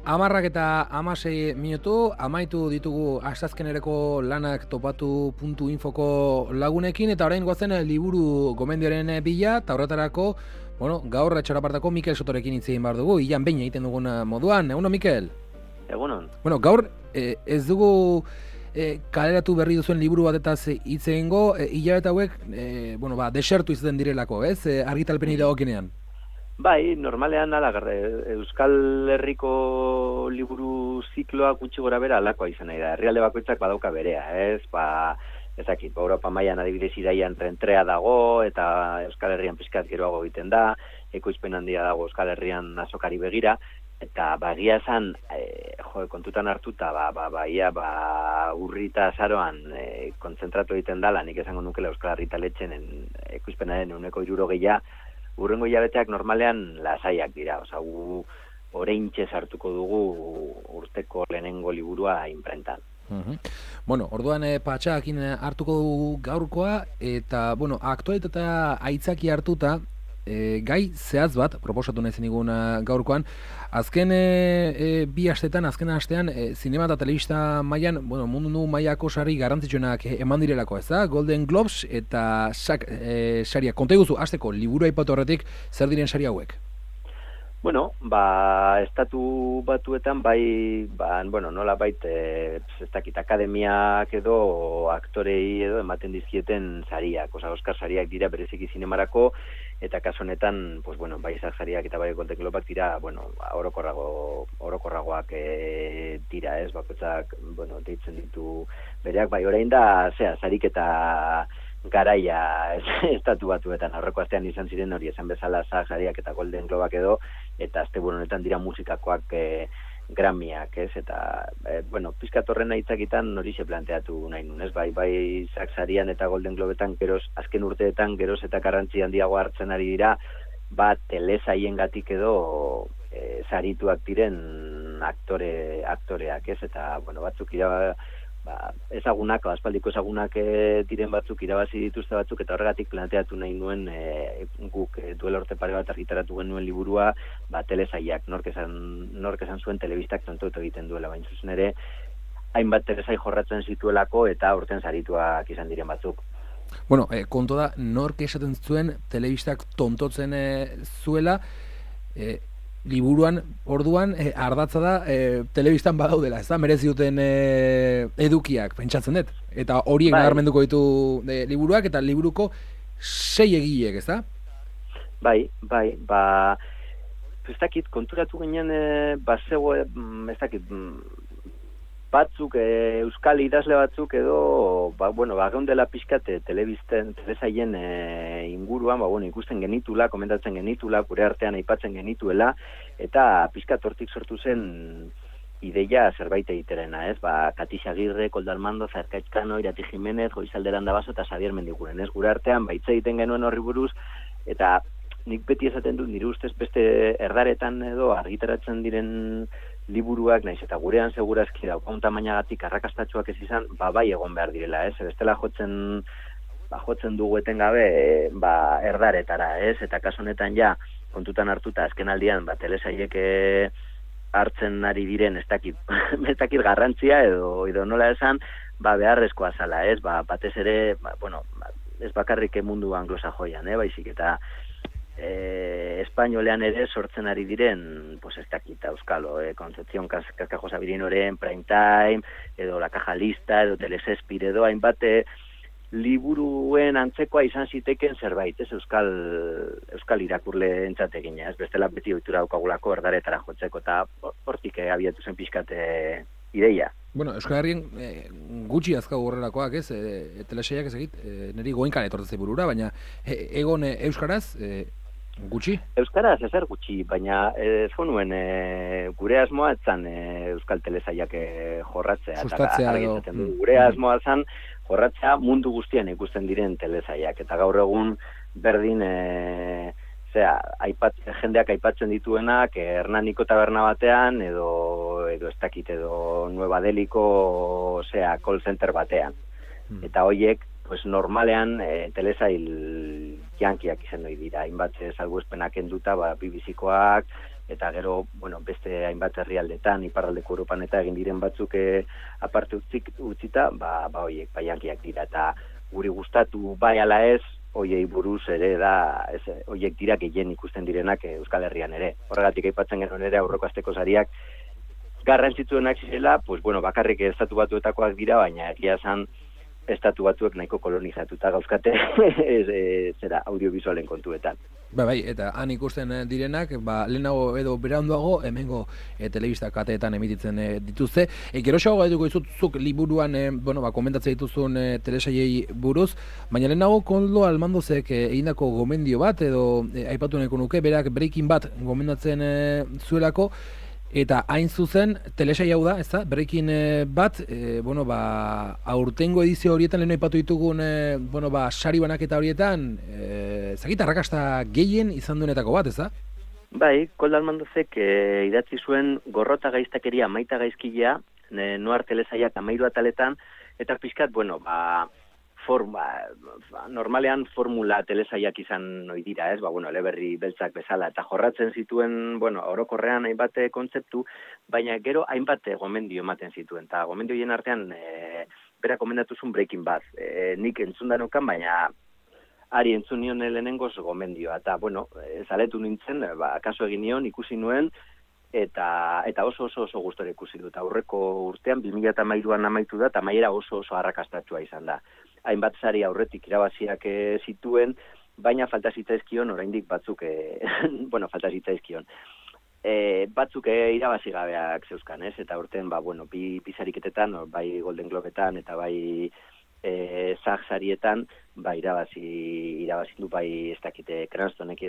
Amarrak eta 16 minutu, amaitu ditugu asteazkenerako lanak topatu.infoko lagunekin, eta orain goazen liburu gomendioaren bila, eta horretarako, gaur etxarapartako Mikel Sotorekin hitz egin behar dugu, ilan behin egiten dugun moduan. Egunon, Mikel? Egunon. Gaur ez dugu kaleratu berri duzuen liburu batetaz hitz egingo, hilabete hauek, desertu izaten direlako, ez? Argitalpenei dagokinean. Bai, normalean Euskal Herriko liburu zikloa gutxi gora bera alakoa izan nahi da. Herrialde bakoitzak badauka berea, ez? Ezakit, Europa mailan adibidez iraian trentrea dago, eta Euskal Herrian pizkat geroago egiten da, ekoizpen handia dago Euskal Herrian azokari begira, eta egia esan, kontutan hartuta, urri eta azaroan kontzentratu egiten dala, nik esango nukela Euskal Herritaletxen ekoizpenaren 60%, urrengo hilabeteak normalean lasaiak dira, gu oraintxe sartuko dugu urteko lehenengo liburua inprentan. Orduan patxakin hartuko dugu gaurkoa, eta, aktualitatea aitzaki hartuta, gai zehaz bat, proposatu nahi zenigun gaurkoan, azken bi astetan, azken astean, zinema eta telebista mailan, mundu mailako sari garrantzitsuenak eman direlako, ez da? Golden Globes eta saria. Konta iguzu, hasteko, liburu aipatu horretik, zer diren sari hauek? Estatu batuetan nola ez dakit, akademiak edo aktorei edo ematen dizkieten sariak, Oscar sariak dira bereziki zinemarako, eta kasu honetan, bai Isaac sariak eta bai Golden Globeak dira, orokorragoak dira, ez, bakoitzak, deitzen ditu bereak, bai orain da, sarik eta garaia estatu batuetan, aurreko astean izan ziren hori esan bezala sariak eta Golden Globeak edo, eta asteburu honetan dira musikakoak Grammyak, ez, eta, pizkat horren aitzakitan hori se planteatu nahi nun, ez, bai sarian eta Golden Globetan azken urteetan geroz eta garrantzi handiago hartzen ari dira, telesaiengatik edo sarituak diren aktoreak, ez, eta, batzuk ezagunak, aspaldiko ezagunak diren batzuk irabazi dituzte batzuk, eta horregatik planteatu nahi nuen guk duela urte pare bat argitaratu genuen liburua, telesaiak, nork esan zuen telebistak tontotu egiten duela, baina zuzen ere, hainbat telesai jorratzen zituelako eta urten sarituak izan diren batzuk. Konto da, nork esaten zuen telebistak tontotzen zuela, liburuan, orduan, ardatza da, telebistan badaudela, ez da, merezi duten edukiak, pentsatzen dut. Eta horiek nabarmenduko ditu liburuak, eta liburuko 6 egileek, ez da? Bai, ez dakit, konturatu ginen, ez dakit, batzuk, euskal idazle batzuk edo, geundela pixkate telesaien inguruan, ikusten genitula, komentatzen genitula, gure artean aipatzen genituela, eta pixkat hortik sortu zen ideia zerbait egiterena, ez? Katix Agirre, Koldo Armando, Zarkaitxkano, Irati Jimenez, Goizalde Landabaso eta Xabier Mendiguren, ez? Gure artean baitze egiten genuen horri buruz, eta nik beti esaten dut, nire ustez beste erdaretan edo argitaratzen diren liburuak, naiz eta gurean segurazki daukaun tamainagatik arrakastatxoak ez izan, bai egon behar direla, ez? Bestela jotzen dugu etengabe, erdaretara, ez? Eta kasu honetan kontutan hartuta azken aldian, telesaiek hartzen ari diren ez dakit garrantzia edo nola esan, beharrezkoa zala, ez? Batez ere, ez bakarrik mundu anglosajoian, baizik eta espainolean ere sortzen ari diren, ez dakit, euskalo, Concepción Cascajo Sabirinoren Prime Time, edo La Caja Lista, edo Telesespir, edo hainbat liburuen antzekoa izan ziteken zerbait, ez euskal irakurle entzategina, ez bestela beti ohitura daukagulako erdaretara jotzeko, eta hortik abiatu zen pixkate ideia. Euskal Herrien gutxi azkagu horrelakoak, ez? Telesaiak ez egit, niri goinkan etortzei burura, baina egon euskaraz, gutxi? Euskaraz ezer gutxi, baina ez nuen gure asmoa etzan euskal telesaiak jorratzea. Sustatzea edo. Gure asmoa zan jorratzea mundu guztian ikusten diren telesaiak, eta gaur egun berdin jendeak aipatzen dituenak Hernaniko taberna batean edo ez dakit edo Nueva Deliko call center batean. Eta hoiek normalean telesail jankiak izan hori dira, hainbat salbuespenak enduta, BBCkoak, eta gero, bueno, beste hainbat herrialdetan, iparraldeko Europan eta egin diren batzuk aparte utzita, hoiek, jankiak dira, eta guri gustatu bai ala ez, hoiei buruz ere da, hoiek dira gehien ikusten direnak Euskal Herrian ere. Horregatik aipatzen genuen ere aurreko asteko sariak garrantzitsuenak zirela, pues bueno, bakarrik estatu batuetakoak dira, baina egia esan estatu batuek nahiko kolonizatuta gauzkate zera audiovisualen kontuetan. Bai, eta han ikusten direnak, lehenago edo beranduago, hemengo telebista kateetan emititzen dituzte. Geroxago eduko izuzuk liburuan, komentatzen dituzun telesaiei buruz, baina lehenago Koldo Almandozek egindako gomendio bat, edo aipatu nahiko nuke, berak Breaking Bad gomendatzen zuelako, eta hain zuzen, telesai hau da, ezta? Breaking Bad, aurtengo edizio horietan, lehen aipatu ditugun, sari banaketa horietan, zakit arrakasta gehien izan duenetako bat, ezta? Bai, Koldo Almandozek idatzi zuen Gorrota gaiztakeria maita gaizkilea, noar telesaiak 13 ataletan, eta pixkat, normalean formula telesaiak izan ohi dira, ez? Eleberri beltzak bezala, eta jorratzen zituen, orokorrean hainbat kontzeptu, baina gero hainbat gomendio ematen zituen, eta gomendioien artean bera komendatu zuen Breaking Bad. Nik entzundanokan, baina ari entzun nion lehenengoz gomendioa, eta zaletu nintzen, kaso egin nion, ikusi nuen, eta oso gustora ikusi dut. Aurreko urtean, 2013an amaitu da, eta maiera oso arrakastatsua izan da. Hainbat sari aurretik irabaziak zituen, baina falta zitzaizkion, oraindik batzuk, falta zitzaizkion. Batzuk irabazi gabeak zeuzkan, ez? Eta urten, bi sariketetan, bai Golden Globetan, eta bai SAG sarietan, irabazi du, bai ez dakite Cranstonek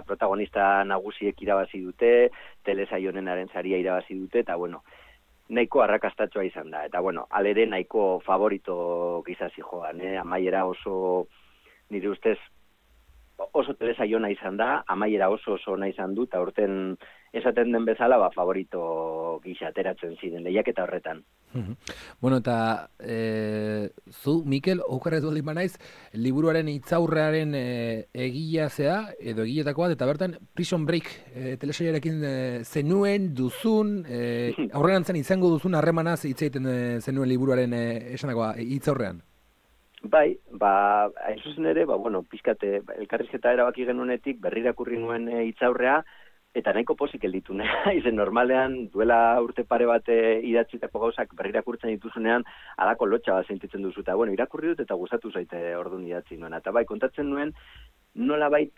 protagonista nagusiek irabazi dute, telesaio honenaren saria irabazi dute, eta nahiko arrakastatsua izan da. Eta alere nahiko favorito gizazi joan, amaiera oso, nire ustez, oso telesaio ona izan da, amaiera oso ona izan du, eta urten esaten den bezala, favorito gisa ateratzen ziren lehiaketa horretan. Eta zu, Mikel, okerrez baldin banaiz, liburuaren hitzaurrearen egilea zea, edo egiletako bat, eta bertan Prison Break telesaiarekin zenuen, duzun, aurrerantzean izango duzun harremanaz hitz egiten zenuen liburuaren esanakoa hitzaurrean. Bai, hain zuzen ere, pixkate, elkarrizketa erabaki genuenetik, berrirakurri nuen hitzaurrea, eta nahiko pozik gelditu izen normalean duela urte pare bat idatzitako gauzak berrirakurtzen dituzunean alako lotxa bat sentitzen duzu, eta irakurri dut eta gustatu zaite orduan idatzi nuen. Eta kontatzen nuen nolabait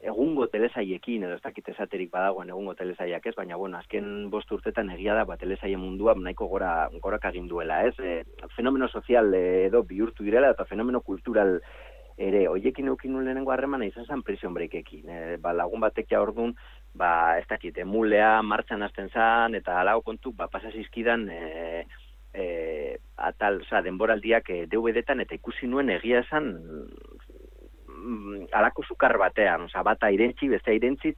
egungo telesaiekin, edo ez dakit esaterik badagoen egungo telesaiak ez, baina azken 5 urtetan egia da telesaien mundua nahiko gorak egin duela, ez? Fenomeno sozial edo bihurtu direla eta fenomeno kultural ere, hoiekin eukin nuen lehenengo harremana izan zen Prison Breakekin. Lagun batek ja orduan, ez dakit, emulea martxan hasten zan, eta alago kontu, pasazizkidan denboraldiak DVD-tan, eta ikusi nuen egia esan alako sukar batean, bata irentzi, beste irentzi,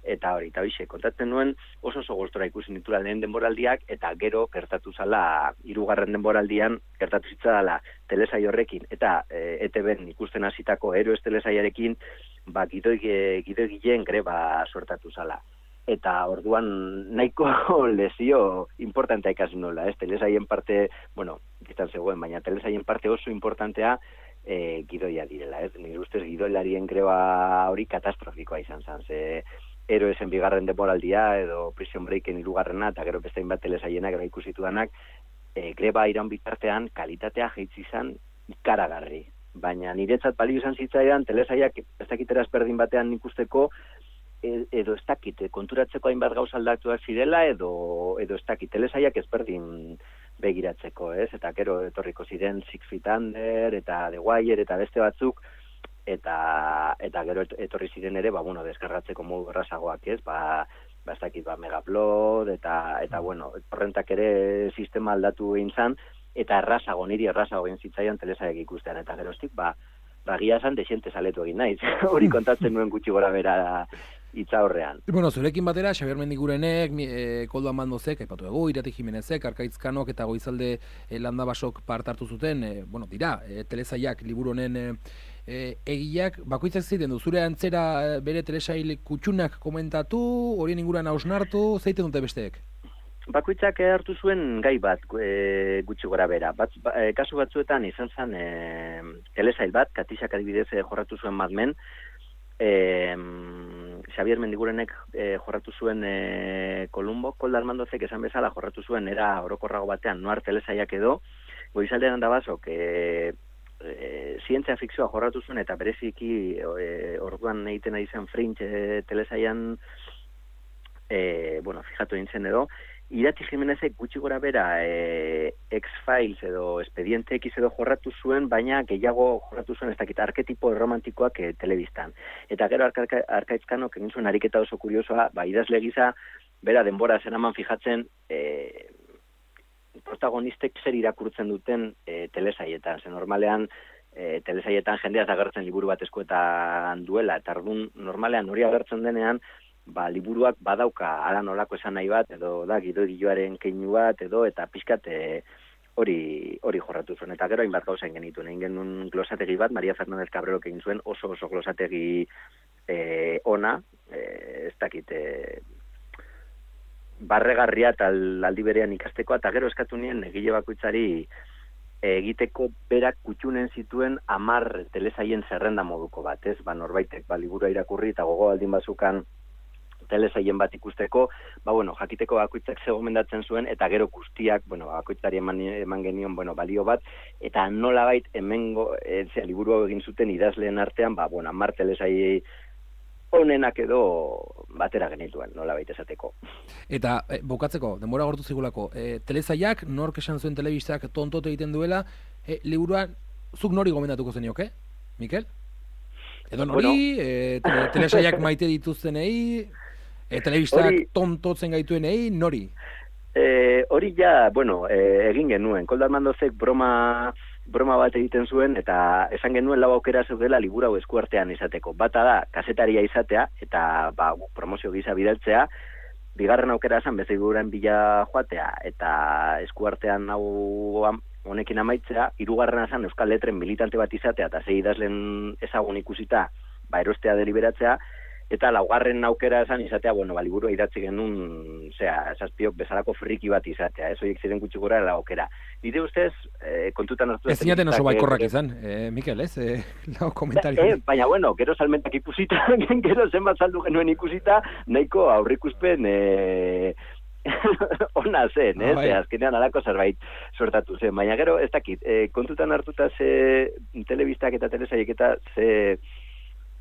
eta hori, eta hoxe, kontatzen nuen oso gustora ikusi nitula lehen denboraldiak, eta gero gertatu zala 3. denboraldian, gertatu zitzadala telesai horrekin, eta ETB-en ikusten hasitako Heroes telesaiarekin, gidoegileen greba suertatu zala. Eta orduan nahiko lesio importantea ikasi nola, ez? Telesaien parte, giztan zegoen, baina telesaien parte oso importantea gidoia direla, ez? Nire ustez gidoilarien greba hori katastrofikoa izan zen, ze Heroesen 2. denboraldia, edo Prison Breaken 3. eta gero beste hainbat telesaiena gero ikusitu danak, greba iraun bitartean kalitatea jaitsi izan ikaragarri. Baina niretzat balio izan zitzaidan telesaiak ez dakiteraz berdin batean ikusteko, edo ez dakit, konturatzeko hainbat gauza aldatuak zirela, edo ez dakit, telesaiak ezberdin begiratzeko, ez? Eta gero etorriko ziren 6 Feet Under, eta The Wire, eta beste batzuk, eta gero etorri ziren ere, deskargatzeko modu errazagoak, ez? Ez dakit, Megaupload, eta torrentak ere sistema aldatu egin zan, eta niri errazago egin zitzaian telesaiak ikustean, eta geroztik, gia esan desiente saletu egin naiz. Hori kontatzen nuen gutxi gora bera hitza horrean. Bueno, zurekin batera, Xabier Mendigurenek, Koldo Amandozek, aipatu dugu, Irati Jimenezek, Arkaitz-Kanok eta Goizalde Landabasok part hartu zuten, dira, telesaiak liburu honen egiak, bakoitzak ziten du, zure antzera bere telesail kutxunak komentatu, horien inguruan hausnartu, zeiten dute besteek? Bakoitzak hartu zuen gai bat gutxi gora bera. Kasu batzuetan izan zen telesail bat, Katixak adibidez jorratu zuen Mad Men, Xabier Mendigurenek jorratu zuen Kolumbo, Koldo Armandozek esan bezala jorratu zuen era orokorrago batean Noir telesaiak edo, Goizalde Landabasok zientzia fikzioa jorratu zuen eta bereziki orduan egiten ari zen Fringe telesaian fijatu egin zen edo, Irati Jimenezek gutxi gora bera X-Files edo Expediente X edo jorratu zuen, baina gehiago jorratu zuen ez dakit arketipo romantikoak telebistan. Eta gero Arkaitz-Kanok egin zuen ariketa oso kuriosoa, idazle gisa, bera denbora zeraman fijatzen protagonistek zer irakurtzen duten telesaietan. Ze normalean telesaietan jendeaz agertzen liburu bat eskuetan duela, eta ordun normalean hori agertzen denean, liburuak badauka ala nolako esan nahi bat, edo da gidoioaren keinu bat, edo eta pixkat hori jorratu zuen. Eta gero hainbat gauza genituen. Egin genuen glosategi bat, Maria Fernández Cabrerok egin zuen oso glosategi ona, ez dakit, barregarria eta aldi berean ikasteko, eta gero eskatu nien egile bakoitzari egiteko berak kutxunen zituen 10 telesaien zerrenda moduko bat, ez? Norbaitek liburua irakurri eta gogo aldin bazukan telesaien bat ikusteko, jakiteko bakoitzak ze gomendatzen zuen, eta gero guztiak, bakoitzari eman genion, balio bat, eta nolabait hemengo, liburu egin zuten idazleen artean, 10 telesai honenak edo batera genituen, nolabait esateko. Eta, bukatzeko, denbora gortu zigulako, telesaiak, nork esan zuen telebistak tontote egiten duela, liburuan, zuk nori gomendatuko zenioke, Mikel? Edo nori, telesaiak maite dituztenei, telebistak tontotzen gaituenei, nori? Hori ja, egin genuen. Koldo Armandozek broma bat egiten zuen, eta esan genuen 4 aukera zeudela liburu hau eskuartean izateko. Bata da, kazetaria izatea, eta promozio gisa bidaltzea. Bigarren aukera esan, liburuaren bila joatea, eta eskuartean hau honekin amaitzea. Hirugarrena esan, Euskal Letren militante bat izatea, eta 6 idazlen ezagun ikusita, erostea deliberatzea. Eta laugarren aukera esan izatea, liburua idatzi genuen, zazpiok bezalako friki bat izatea, ez horiek ziren gutxi gora aukera. Nire ustez, kontutan hartu... Ez zinaten oso baikorrak izan, Mikel, ez? Lau komentario. Baina, gero salmentak ikusita, gero zenbat saldu genuen ikusita, nahiko aurrikuspen ona zen, ez? Azkenean alako zerbait sortatu zen. Baina gero, ez dakit, kontutan hartuta ze telebistak eta telesaiek eta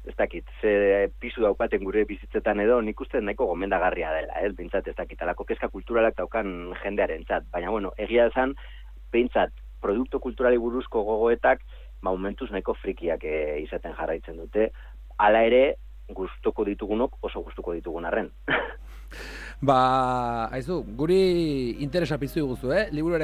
ez dakit, ze pisu daukaten gure bizitzetan edo, nik uste nahiko gomendagarria dela, ez? Bintzat, ez dakit, alako kezka kulturalak daukan jendearen txat. Baina, egia esan, bintzat, produktu kulturali buruzko gogoetak, momentuz nahiko frikiak izaten jarraitzen dute. Hala ere, gustuko ditugunok oso gustuko ditugun arren. Aizu, guri interesa piztu guzu, liburuarekin